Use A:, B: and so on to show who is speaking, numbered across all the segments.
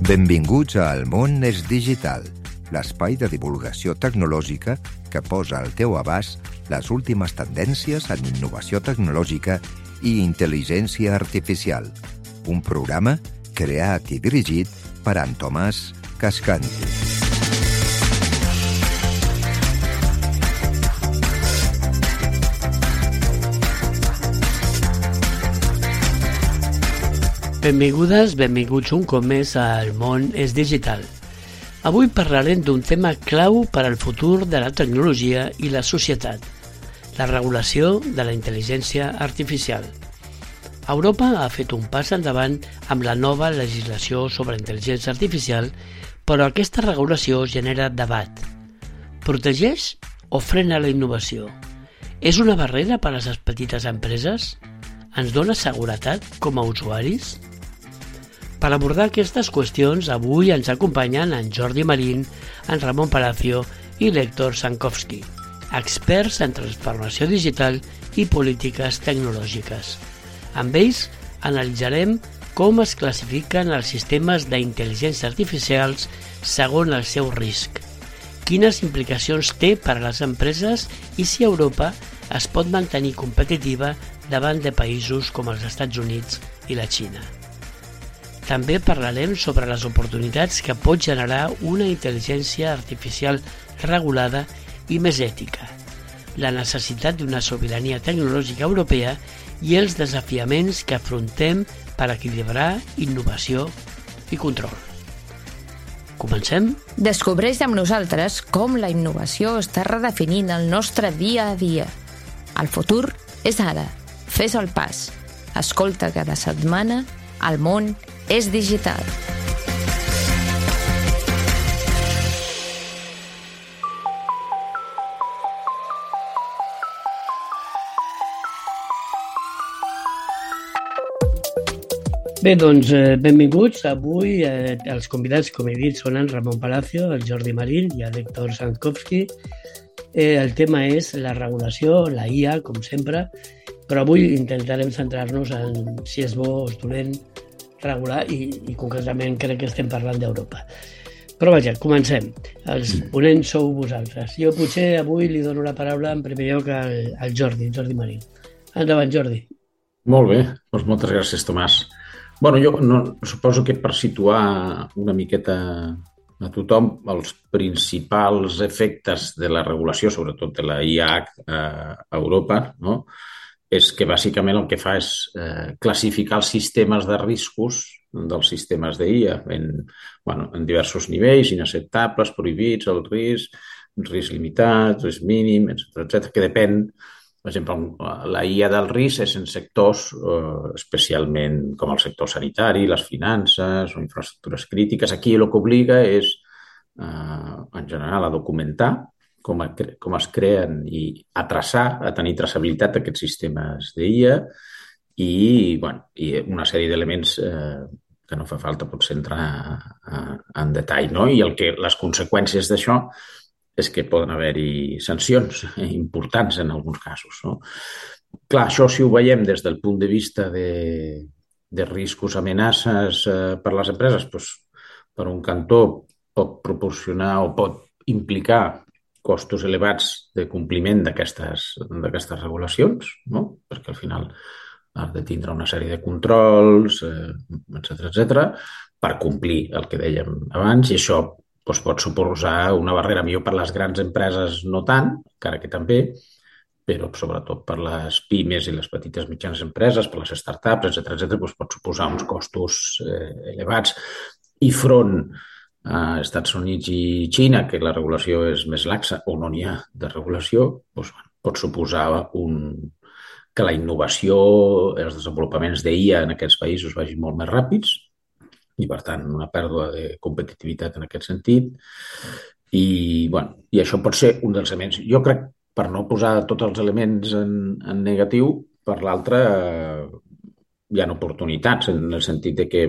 A: Benvinguts a El món és digital, l'espai de divulgació tecnològica que posa al teu abast les últimes tendències en innovació tecnològica i intel·ligència artificial. Un programa creat i dirigit per en Tomàs Cascanti.
B: Benvingudes, benvinguts un cop més a El món és digital. Avui parlarem d'un tema clau per al futur de la tecnologia i la societat, la regulació de la intel·ligència artificial. Europa ha fet un pas endavant amb la nova legislació sobre intel·ligència artificial, però aquesta regulació genera debat. Protegeix o frena la innovació? És una barrera per a les petites empreses? Ens dona seguretat com a usuaris? Per abordar aquestes qüestions, avui ens acompanyen en Jordi Marín, en Ramon Palacio i l'Héctor Sankovski, experts en transformació digital i polítiques tecnològiques. Amb ells analitzarem com es classifiquen els sistemes d'intel·ligència artificials segons el seu risc, quines implicacions té per a les empreses i si Europa es pot mantenir competitiva davant de països com els Estats Units i la Xina. També parlarem sobre les oportunitats que pot generar una intel·ligència artificial regulada i més ètica, la necessitat d'una sobirania tecnològica europea i els desafiaments que afrontem per equilibrar innovació i control. Comencem?
C: Descobreix amb nosaltres com la innovació està redefinint el nostre dia a dia. El futur és ara. Fes el pas. Escolta cada setmana El món és digital.
B: Bé, doncs, benvinguts. Avui els convidats, com he dit, són en Ramon Palacio, el Jordi Marín i l'Héctor Sankovski. El tema és la regulació, la IA, com sempre, però avui intentarem centrar-nos en si és bo o és dolent regular i concretament crec que estem parlant d'Europa. Però vaja, comencem. Els ponents sou vosaltres. Jo potser avui li dono la paraula en primer lloc al Jordi Marín. Endavant, Jordi.
D: Molt bé, doncs moltes gràcies, Tomàs. Bueno, jo suposo que per situar una miqueta a tothom els principals efectes de la regulació, sobretot de la IA a Europa, no? És que bàsicament el que fa és classificar els sistemes de riscos dels sistemes d'IA en diversos nivells, inacceptables, prohibits, el risc limitat, risc mínim, etc., que depèn. Per exemple, la IA del risc és en sectors especialment com el sector sanitari, les finances o infraestructures crítiques. Aquí el que obliga és, en general, a documentar com es creen i a traçar, a tenir traçabilitat d'aquests sistemes d'IA i una sèrie d'elements que no fa falta potser entrar en detall, no? I les conseqüències d'això és que poden haver-hi sancions importants en alguns casos, no? Clar, això si ho veiem des del punt de vista de riscos, amenaces per a les empreses, doncs, per un cantó pot proporcionar o pot implicar costos elevats de compliment d'aquestes regulacions, no? Perquè al final has de tindre una sèrie de controls, etc., per complir el que dèiem abans, i això doncs, pot suposar una barrera millor per les grans empreses, no tant, encara que també, però sobretot per les pimes i les petites mitjanes empreses, per les startups, etc., doncs pot suposar uns costos elevats. I front a Estats Units i Xina, que la regulació és més laxa o no n'hi ha de regulació, doncs, pot suposar que la innovació, els desenvolupaments d'IA en aquests països vagin molt més ràpids i, per tant, una pèrdua de competitivitat en aquest sentit. I això pot ser un dels elements. Jo crec, per no posar tots els elements en negatiu, per l'altre hi ha oportunitats en el sentit de que,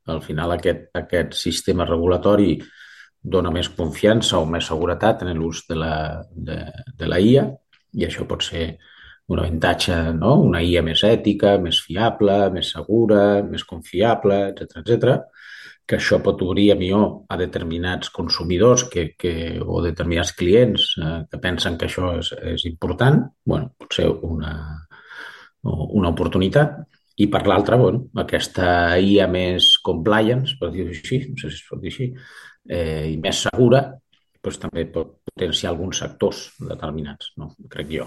D: al final aquest sistema regulatori dona més confiança o més seguretat en l'ús de la IA i això pot ser un avantatge, no? Una IA més ètica, més fiable, més segura, més confiable, etc. que això pot obrir a millor a determinats consumidors o determinats clients que pensen que això és important, bueno, pot ser una oportunitat. I per l'altra, bueno, aquesta IA més compliance, per dir-ho així, no sé si es pot dir així, i més segura, doncs també pot potenciar alguns sectors determinats, no? Crec jo.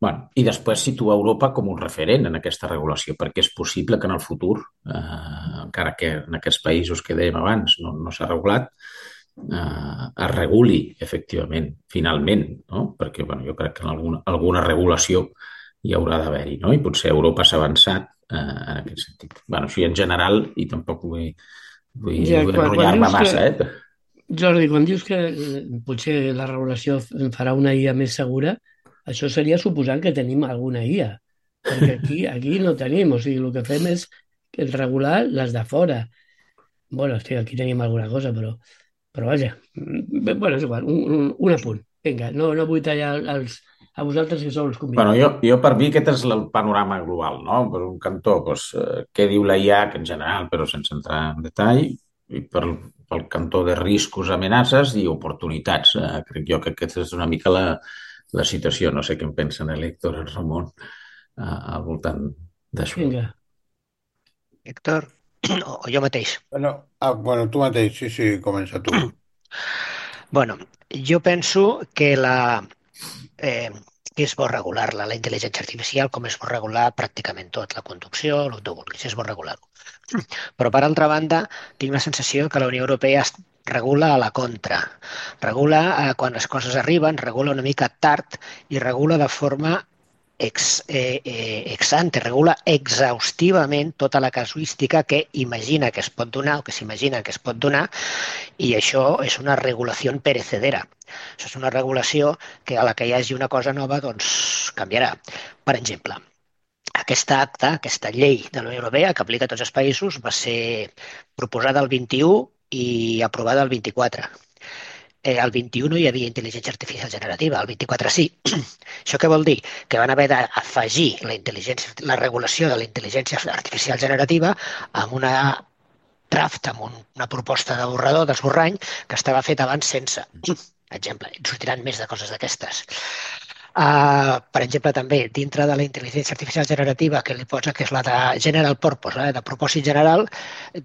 D: Bueno, i després situa Europa com un referent en aquesta regulació, perquè és possible que en el futur, encara que en aquests països que dèiem abans no s'ha regulat, es reguli efectivament, finalment, no? Perquè bueno, jo crec que en alguna regulació hi haurà d'haver-hi, no? I potser Europa s'ha avançat en aquest sentit. Bueno, així en general, i tampoc
B: Ja,
D: vull
B: quan
D: enrotllar-me
B: dius que,
D: massa, eh?
B: Jordi, quan dius que potser la regulació farà una IA més segura, això seria suposant que tenim alguna IA, perquè aquí no tenim, o sigui, el que fem és regular les de fora. Bueno, hosti, aquí tenim alguna cosa, però vaja, bueno, és igual, un apunt. Vinga, no vull tallar a vosaltres que sou els
D: Bueno,
B: convidats.
D: jo per mi aquest és el panorama global, no? Per un cantó, doncs, què diu la IAC en general, però sense entrar en detall, i pel cantó de riscos, amenaces i oportunitats. Crec jo que aquesta és una mica la situació. No sé què en pensen l'Héctor, en Ramon, al voltant d'això.
B: Vinga.
E: Héctor, o jo mateix.
F: Bueno, tu mateix, sí, sí, comença tu.
E: Bueno, jo penso eh, que és bo regular-la, la intel·ligència artificial, com és bo regular pràcticament tot, la conducció, el que tu vulguis, és bo regular-ho. Però, per altra banda, tinc la sensació que la Unió Europea regula a la contra. Regula quan les coses arriben, regula una mica tard i regula de forma ex ante, regula exhaustivament tota la casuística que imagina que es pot donar o que s'imagina que es pot donar, i això és una regulació perecedera. Això és una regulació que a la que hi hagi una cosa nova doncs canviarà. Per exemple, aquesta acta, aquesta llei de la Unió Europea que aplica a tots els països va ser proposada el 21 i aprovada el 24. El 21 no hi havia intel·ligència artificial generativa, el 24 sí. Això què vol dir? Que van haver d'afegir la regulació de la intel·ligència artificial generativa amb una draft, amb una proposta de borrador, d'esborrany, que estava fet abans sense. Exemple, sortiran més de coses d'aquestes. Per exemple, també, dintre de la intel·ligència artificial generativa, que li posa que és la de general purpose, de propòsit general,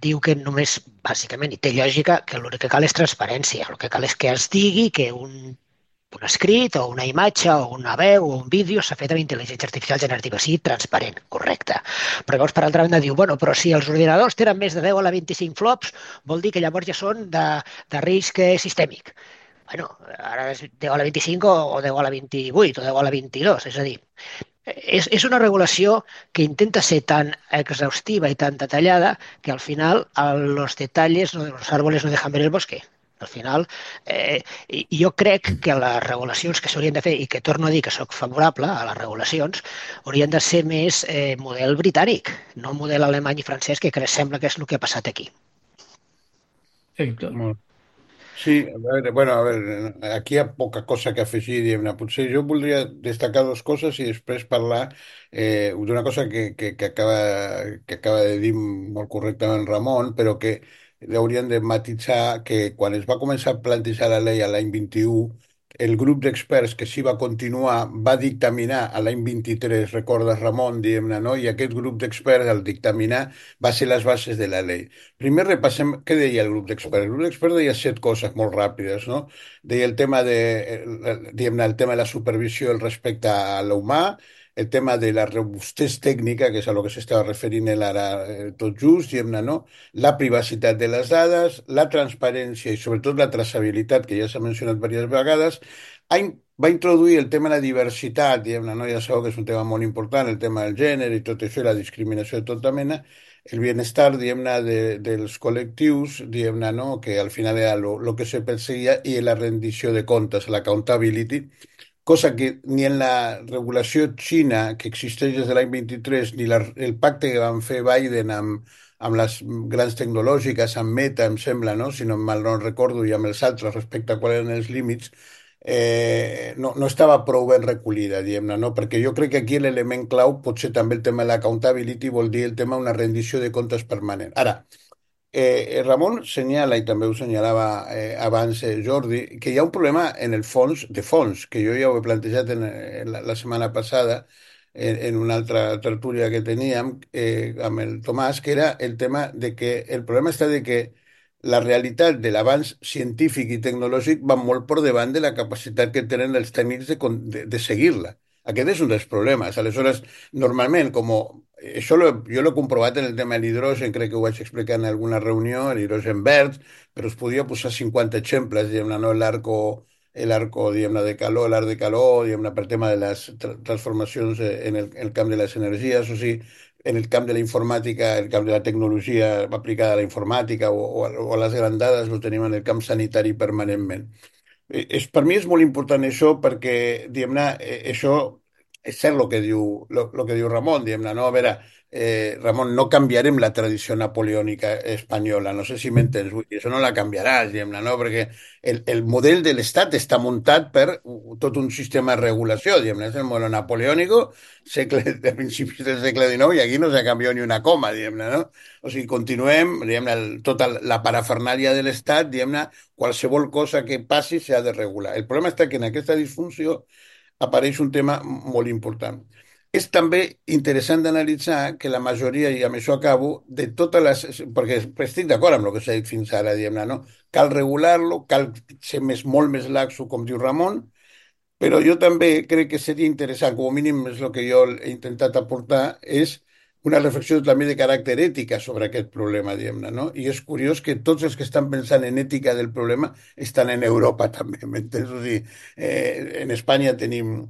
E: diu que només, bàsicament, i té lògica, que l'únic que cal és transparència. El que cal és que es digui que un escrit o una imatge o una veu o un vídeo s'ha fet amb intel·ligència artificial generativa, sigui transparent, correcte. Però llavors, per altra banda, diu, bueno, però si els ordinadors tenen més de 10 a la 25 flops, vol dir que llavors ja són de risc sistèmic. Bueno, ara és 10 a la 25 o 10 a la 28 o 10 a la 22, és a dir, és una regulació que intenta ser tan exhaustiva i tan detallada que al final los detalles de los árboles no dejan ver el bosque. Al final, jo crec que les regulacions que s'haurien de fer, i que torno a dir que sóc favorable a les regulacions, haurien de ser més model britànic, no model alemany i francès, que sembla que és el que ha passat aquí.
B: Héctor.
F: Molt. Sí, a veure, aquí hi ha poca cosa que afegir, diguem-ne. Potser jo voldria destacar dues coses i després parlar d'una cosa que acaba de dir molt correctament Ramon, però que hauríem de matisar que quan es va començar a plantejar la llei a l'any 21, el grup d'experts que s'hi va continuar va dictaminar a l'any 23, recordes Ramon, diguem-ne, no? I aquest grup d'experts al dictaminar va ser les bases de la llei. Primer repassem què deia el grup d'experts. El grup d'experts deia 7 coses molt ràpides, no? Deia el tema diguem-ne, el tema de la supervisió el respecte a l'humà, el tema de la robustesa tècnica, que és a lo que s'estava referint ell ara tot just, diguem-ne, no? La privacitat de les dades, la transparència i sobretot la traçabilitat, que ja s'ha mencionat diverses vegades, va introduir el tema de la diversitat, diguem-ne, no? Ja sabeu que és un tema molt important, el tema del gènere i tot això, i la discriminació de tota mena, el bienestar, diguem-ne, dels col·lectius, diguem-ne, no? Que al final era lo que se perseguia, i la rendició de comptes, l'accountability, cosa que ni en la regulació xina que existeix des de l'any 23 ni el pacte que van fer Biden amb les grans tecnològiques, amb Meta, em sembla, no? Si no mal no recordo, i amb els altres respecte a quals eren els límits, no estava prou ben recollida, diguem-ne, no? Perquè jo crec que aquí l'element clau pot ser també el tema de l'accountability, vol dir el tema d'una rendició de comptes permanent. Ara, Ramon senyala, i també ho senyalava abans Jordi, que hi ha un problema en el fons, de fons, que jo ja ho he plantejat la setmana passada en una altra tertúlia que teníem amb el Tomàs, que era el tema de que el problema està de que la realitat de l'avanç científic i tecnològic va molt per davant de la capacitat que tenen els tècnics de seguir-la. Aquest és un dels problemes. Aleshores, normalment, jo l'he comprovat en el tema de l'hidrogen, crec que ho vaig explicar en alguna reunió, l'hidrogen verd, però es podia posar 50 exemples, diguem-ne, no? L'arco, diguem-ne, de calor, l'art de calor, diguem-ne, per tema de les transformacions en el camp de les energies, o sigui, en el camp de la informàtica, el camp de la tecnologia aplicada a la informàtica o a les grandades, ho tenim en el camp sanitari permanentment. Per mi és molt important això perquè, diguem-ne, això és cert el que diu Ramon, diguem-ne, no? A veure, Ramon, no canviarem la tradició napoleònica espanyola, no sé si m'entens, vull dir, això no la canviaràs, diguem-ne, no? Perquè el model de l'Estat està muntat per tot un sistema de regulació, diguem-ne, és el model napoleònico de principis del segle XIX i aquí no s'ha canviat ni una coma, diguem-ne, no? O sigui, continuem, diguem-ne, tota la parafernàlia de l'Estat, diguem-ne, qualsevol cosa que passi s'ha de regular. El problema està que en aquesta disfunció apareix un tema molt important. És també interessant d'analitzar que la majoria, i amb això acabo, de totes les... perquè estic d'acord amb el que s'ha dit fins ara, diguem-ne, no? Cal regular-lo, cal ser molt més laxo, com diu Ramon, però jo també crec que seria interessant, com a mínim és el que jo he intentat aportar, és una reflexió també de caràcter ètica sobre aquest problema, diguem-ne, no? I és curiós que tots els que estan pensant en ètica del problema estan en Europa també, m'entens? O sigui, en Espanya tenim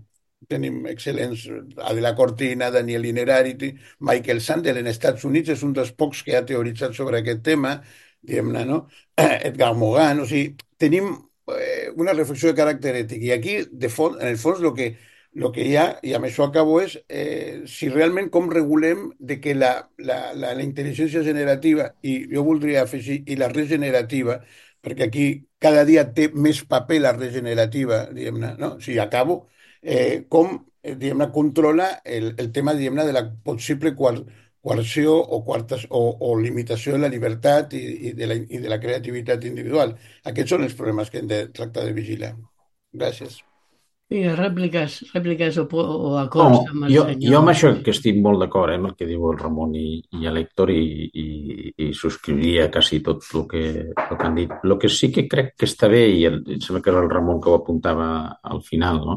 F: excel·lents, Adela Cortina, Daniel Innerarity, Michael Sandel, en Estats Units és un dels pocs que ha teoritzat sobre aquest tema, diguem-ne, no? Edgar Morin, o sigui, tenim una reflexió de caràcter ètic. I aquí, en el fons, el que hi ha, i amb això acabo, és si realment com regulem de que la intel·ligència generativa, i jo voldria afegir, i la regenerativa, perquè aquí cada dia té més paper la regenerativa, diguem-ne, no? Si acabo, diguem-ne, controla el tema, diguem-ne, de la possible coerció o limitació de la llibertat i de la creativitat individual. Aquests són els problemes que hem de tractar de vigilar. Gràcies.
B: I rèpliques o
D: No,
B: acords amb el
D: jo
B: senyor.
D: amb això que estic molt d'acord amb el que diu el Ramon i l'Héctor i subscriuria quasi tot el que han dit. El que sí que crec que està bé, i em sembla que era el Ramon que ho apuntava al final, no?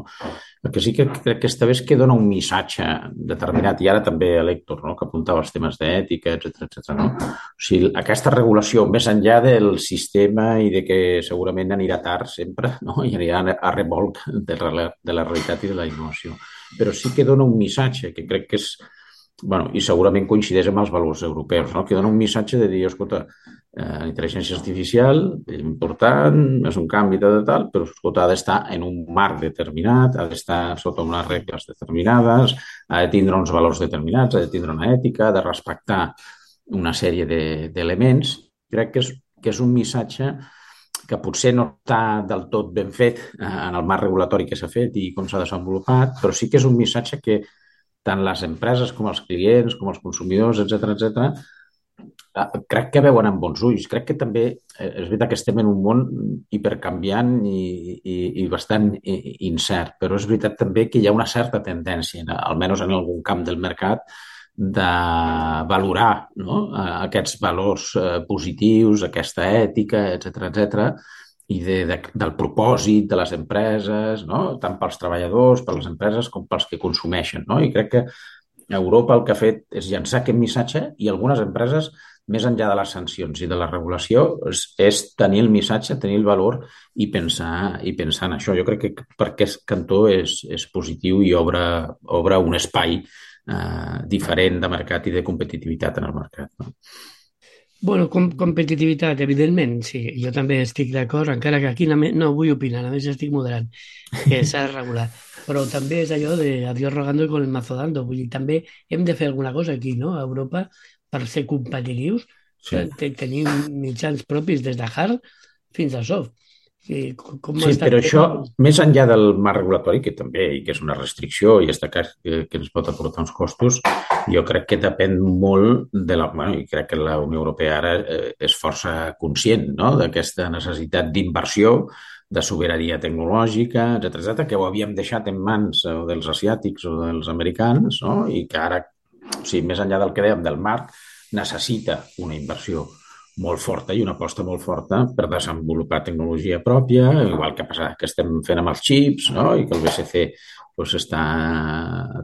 D: El que sí que crec que està bé és que dona un missatge determinat, i ara també l'Héctor, no? Que apuntava els temes d'ètica, etc. No? O sigui, aquesta regulació, més enllà del sistema i de que segurament anirà tard sempre, no? I anirà a remolc de la realitat i de la innovació. Però sí que dona un missatge que crec que és, bueno, i segurament coincideix amb els valors europeus, no? Que dona un missatge de dir, escolta, la intel·ligència artificial és important, és un canvi de tal, però escolta, ha d'estar en un marc determinat, ha d'estar sota unes regles determinades, ha de tindre uns valors determinats, ha de tindre una ètica, ha de respectar una sèrie d'elements. Crec que és un missatge que potser no està del tot ben fet en el marc regulatori que s'ha fet i com s'ha desenvolupat, però sí que és un missatge que tant les empreses com els clients, com els consumidors, etc., crec que veuen amb bons ulls. Crec que també és veritat que estem en un món hipercanviant i bastant incert, però és veritat també que hi ha una certa tendència, almenys en algun camp del mercat, de valorar, no? Aquests valors positius, aquesta ètica, etc., i del propòsit de les empreses, no? Tant pels treballadors, per les empreses, com pels que consumeixen. No? I crec que Europa el que ha fet és llançar aquest missatge i algunes empreses, més enllà de les sancions i de la regulació, és tenir el missatge, tenir el valor i pensar en això. Jo crec que per aquest cantó és positiu i obre un espai diferent de mercat i de competitivitat en el mercat. No?
B: Bueno, competitivitat, evidentment, sí. Jo també estic d'acord, encara que aquí no vull opinar, a més estic moderant, que s'ha de regular. Però també és allò de adiós rogando con el mazo dando. Vull dir, també hem de fer alguna cosa aquí, no?, a Europa, per ser competitius. Sí. Tenim mitjans propis des de hard fins a soft. Sí,
D: però això, més enllà del marc regulatori, que també, i que és una restricció i està clar que ens pot aportar uns costos, Jo crec que depèn molt de la... Bueno, i crec que la Unió Europea ara és força conscient, no?, d'aquesta necessitat d'inversió, de sobirania tecnològica, etc., que ho havíem deixat en mans dels asiàtics o dels americans, no?, i que ara, o sigui, més enllà del que dèiem del marc, necessita una inversió molt forta i una aposta molt forta per desenvolupar tecnologia pròpia, igual que passa que estem fent amb els xips, no?, i que el BCC doncs, està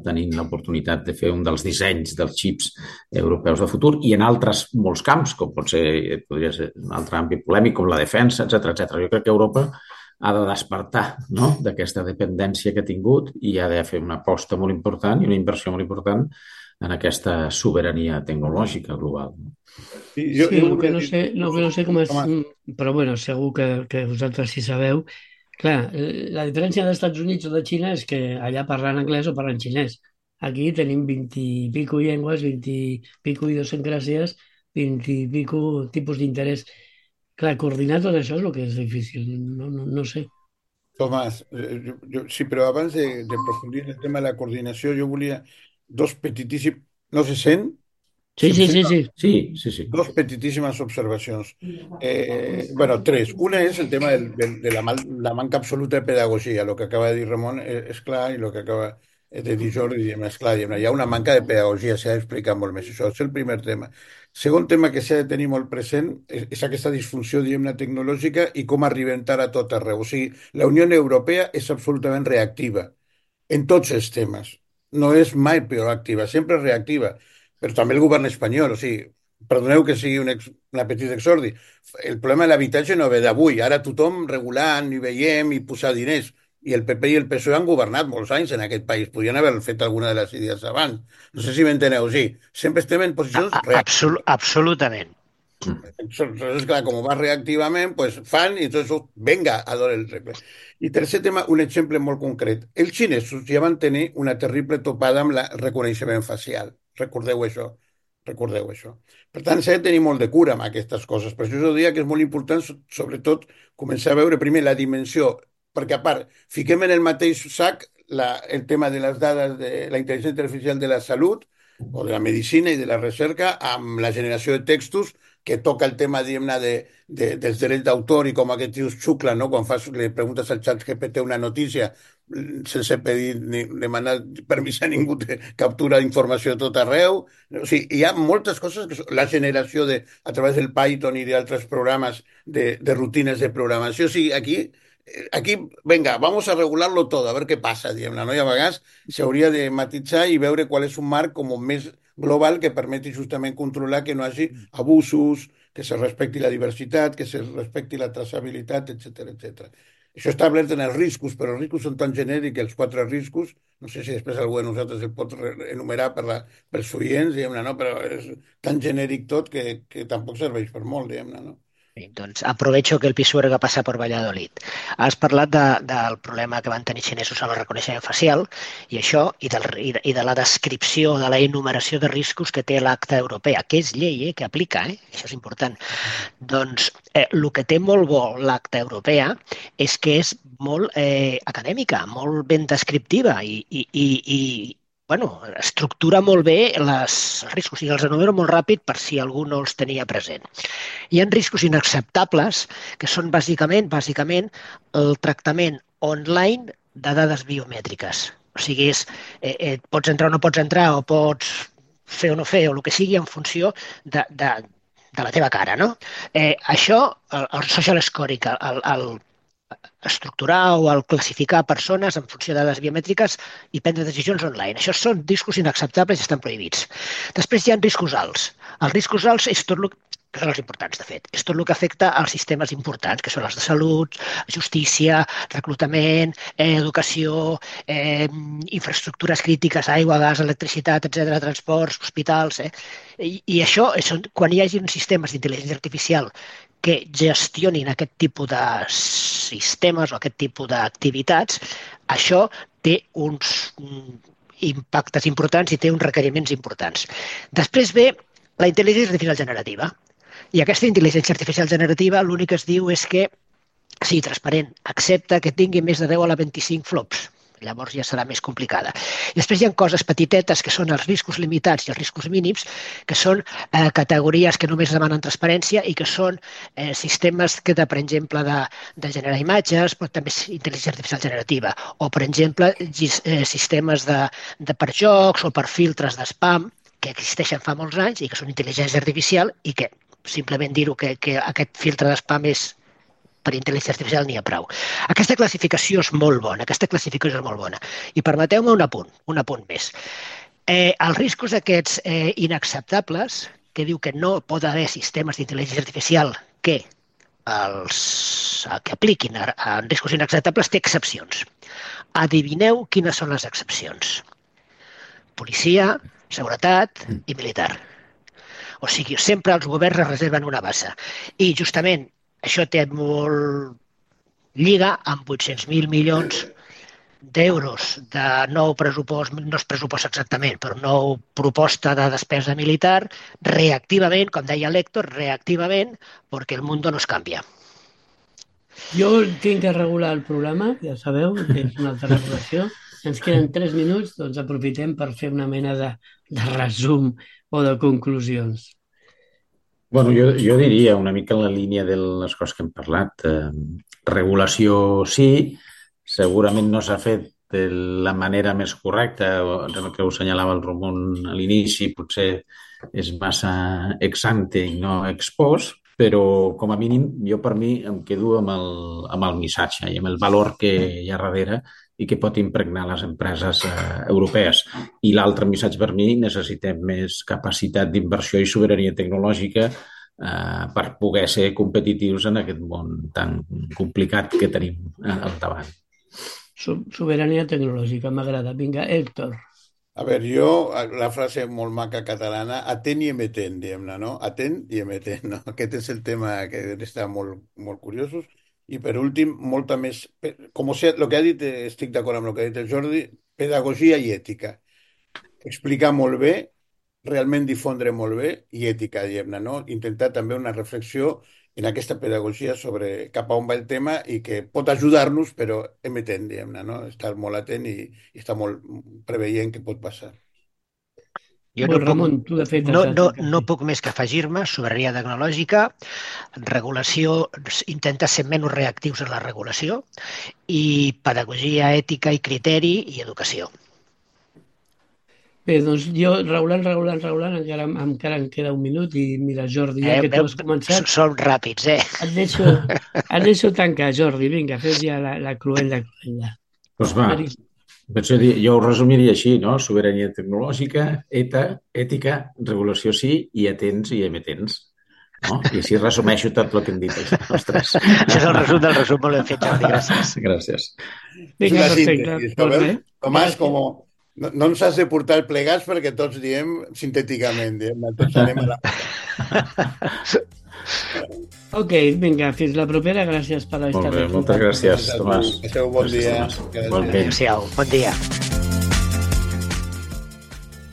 D: tenint l'oportunitat de fer un dels dissenys dels xips europeus de futur, i en altres molts camps, com podria ser un altre àmbit polèmic, com la defensa, etc. Jo crec que Europa ha de despertar, no?, d'aquesta dependència que ha tingut i ha de fer una aposta molt important i una inversió molt important en aquesta sobirania tecnològica global.
F: Sí,
B: Sí, el que no sé com és, però bueno, segur que vosaltres sí sabeu. Clar, la diferència dels Estats Units o de Xina és que allà parlen anglès o parlen xinès. Aquí tenim 20 i pico llengües, 20 i pico idiosincràsies, 20 i pico tipus d'interès. Clar, coordinar tot això és el que és difícil. No sé.
F: Tomàs, sí, però abans de aprofundir en el tema de la coordinació, jo volia dos petitíssims... No se sent?
B: Sí,
F: Se'm
B: sí,
F: sent?
B: sí, sí.
D: Sí.
F: Dos petitíssimes observacions. Bueno, tres. Una és el tema de la manca absoluta de pedagogia. El que acaba de dir Ramon és clar, i el que acaba de dir Jordi és clar. Hi ha una manca de pedagogia, s'ha d'explicar molt més. Això és el primer tema. Segon tema que s'ha de tenir molt present és aquesta disfunció, diguem-ne, tecnològica i com arribem tard a tot arreu. O sigui, la Unió Europea és absolutament reactiva en tots els temes. No és mai proactiva, sempre és reactiva. Però també el govern espanyol, o sigui, perdoneu que sigui una petita exordi, el problema de l'habitatge no ve d'avui, ara tothom regulant i veiem i posar diners, i el PP i el PSOE han governat molts anys en aquest país, podien haver fet alguna de les idees abans. No sé si m'enteneu, sí. Sempre estem en posicions reactives.
E: Absolutament.
F: Entonces, clar, com va reactivament, pues fan i tot venga, a donar el regle. I tercer tema, un exemple molt concret. Els xinesos ja van tenir una terrible topada amb el reconeixement facial. Recordeu això. Recordeu això. Per tant, s'ha de tenir molt de cura amb aquestes coses. Per això us diria que és molt important, sobretot, començar a veure primer la dimensió, perquè a part, fiquem en el mateix sac el tema de les dades de la intel·ligència artificial de la salut o de la medicina i de la recerca amb la generació de textos que toca el tema, diguem-ne, dels drets d'autor i com aquest tio es xucla, no?, quan li preguntes al xat GPT una notícia sense pedir ni demanar permís a ningú, captura informació de tot arreu. O sigui, hi ha moltes coses, la generació a través del Python i d'altres programes de rutines de programació. O sigui, aquí, venga, vamos a regularlo todo, a ver qué pasa, diguem-ne, no? I a vegades s'hauria de matitzar i veure qual és un marc com més global que permeti justament controlar que no hi hagi abusos, que se respecti la diversitat, que se respecti la traçabilitat, etc. Això està establert en els riscos, però els riscos són tan genèrics, els 4 riscos, no sé si després algú de nosaltres el pot enumerar pels oients, diguem-ne, no? Però és tan genèric tot que tampoc serveix per molt, diguem-ne, no?
E: Bé, doncs aprovecho que el Pisuerga passa per Valladolid. Has parlat del problema que van tenir xinesos amb el reconeixement facial i això, i de la descripció, de la enumeració de riscos que té l'acta europea, que és llei, que aplica, això és important. Doncs el que té molt bo l'acta europea és que és molt acadèmica, molt ben descriptiva i estructura molt bé els riscos i els enumero molt ràpid per si algú no els tenia present. Hi ha riscos inacceptables que són bàsicament el tractament online de dades biomètriques. O sigui, pots entrar o no pots entrar o pots fer o no fer o el que sigui en funció de la teva cara, no? Això, el social scoring, el estructurar o el classificar persones en funció de dades biomètriques i prendre decisions online. Això són riscos inacceptables i estan prohibits. Després hi ha riscos alts. Els riscos alts és tot el que són els importants, de fet. És tot el que afecta als sistemes importants, que són els de salut, justícia, reclutament, educació, infraestructures crítiques, aigua, gas, electricitat, etc., transports, hospitals. I això, quan hi hagi sistemes d'intel·ligència artificial que gestionin aquest tipus de sistemes o aquest tipus d'activitats, això té uns impactes importants i té uns requeriments importants. Després ve la intel·ligència artificial generativa. I aquesta intel·ligència artificial generativa l'únic que es diu és que sigui transparent, accepta que tingui més de 10 a la 25 flops. Llavors ja serà més complicada. I després hi ha coses petitetes que són els riscos limitats i els riscos mínims, que són categories que només demanen transparència i que són sistemes que, per exemple, de generar imatges, però també intel·ligència artificial generativa, o, per exemple, sistemes per jocs o per filtres d'espam que existeixen fa molts anys i que són intel·ligència artificial i que simplement dir-ho que aquest filtre d'espam és per intel·ligència artificial n'hi ha prou. Aquesta classificació és molt bona, I permeteu-me un apunt més. Els riscos aquests inacceptables, que diu que no pot haver sistemes d'intel·ligència artificial que apliquin a riscos inacceptables, té excepcions. Adivineu quines són les excepcions? Policia, seguretat i militar. O sigui, sempre els governs es reserven una bassa. I justament això té molt lliga amb 800.000 milions d'euros de nou pressupost, no és pressupost exactament, però nou proposta de despesa militar, reactivament, com deia l'Héctor, reactivament, perquè el món no es canvia.
B: Jo tinc que regular el programa, ja sabeu, és una altra regulació. Ens queden 3 minuts, doncs aprofitem per fer una mena de resum o de conclusions.
D: Bueno, jo diria una mica en la línia de les coses que hem parlat. Regulació sí, segurament no s'ha fet de la manera més correcta, el que ho assenyalava el Ramon a l'inici, potser és massa ex ante i no ex post, però com a mínim jo per mi em quedo amb el missatge i amb el valor que hi ha darrere i que pot impregnar les empreses europees. I l'altre missatge per mi, necessitem més capacitat d'inversió i sobirania tecnològica per poder ser competitius en aquest món tan complicat que tenim al davant.
B: Sobirania tecnològica, m'agrada. Vinga, Héctor.
F: A veure, la frase molt maca catalana, atent i emetent, diguem-ne, no? Atent i emetent, no? Aquest és el tema que està molt, molt curiosos. I per últim, molta més... Com el que ha dit, estic d'acord amb el que ha dit el Jordi, pedagogia i ètica. Explicar molt bé, realment difondre molt bé, i ètica, diguem-ne, no? Intentar també una reflexió en aquesta pedagogia sobre cap a on va el tema i que pot ajudar-nos, però emetent, diguem-ne, no? Estar molt atent i estar molt preveient què pot passar.
E: Jo no puc més que afegir-me sobirania tecnològica, regulació, intenta ser menys reactius en la regulació i pedagogia, ètica i criteri i educació.
B: Bé, doncs jo, regulant, encara em queda un minut i mira, Jordi, ja que tu has començat...
E: Som ràpids,
B: Et deixo tancar, Jordi, vinga, fes ja la cloenda.
D: Doncs va, jo ho resumiria així, no? Sobirania tecnològica, ètica, regulació sí, i atents i emetents. No? I així resumeixo tot el que hem dit els tres.
E: Això és el resum del resum, molt ben fet, Jordi, gràcies.
D: Gràcies.
B: Vinga, perfecte.
F: Tomàs, no ens has de portar plegats perquè tots diem sintèticament, tots anem a la...
B: Ok, vinga, fins la propera, gràcies per estar aquí.
D: Molt bé, moltes gràcies, Tomàs.
F: Passeu bon dia.
E: Bon dia.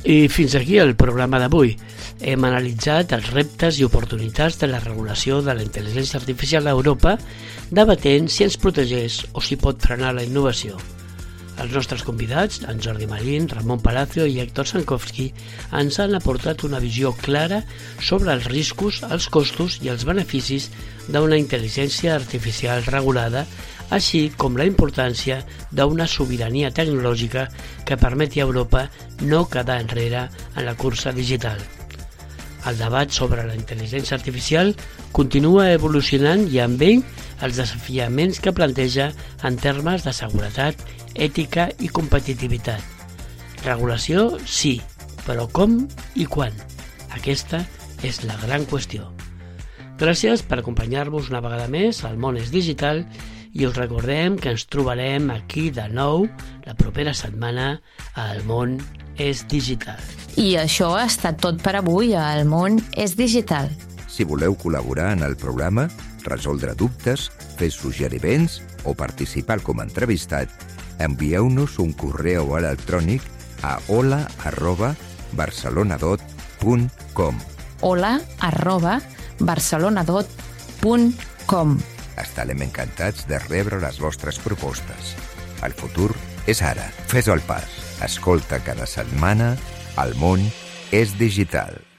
B: I fins aquí el programa d'avui. Hem analitzat els reptes i oportunitats de la regulació de la intel·ligència artificial a Europa, debatent si ens protegeix o si pot frenar la innovació. Els nostres convidats, en Jordi Marín, Ramon Palacio i Héctor Sankovski, ens han aportat una visió clara sobre els riscos, els costos i els beneficis d'una intel·ligència artificial regulada, així com la importància d'una sobirania tecnològica que permeti a Europa no quedar enrere en la cursa digital. El debat sobre la intel·ligència artificial continua evolucionant i amb ell els desafiaments que planteja en termes de seguretat, ètica i competitivitat. Regulació, sí, però com i quan? Aquesta és la gran qüestió. Gràcies per acompanyar-vos una vegada més al Món és Digital i us recordem que ens trobarem aquí de nou la propera setmana al Món és Digital.
C: I això ha estat tot per avui al Món és Digital.
A: Si voleu col·laborar en el programa, resoldre dubtes, fer suggeriments o participar com a entrevistat, envieu-nos un correu electrònic a hola@barcelonadot.com
C: hola@barcelonadot.com.
A: Estarem encantats de rebre les vostres propostes. El futur És ara, fes el pas. Escolta cada setmana El món és digital.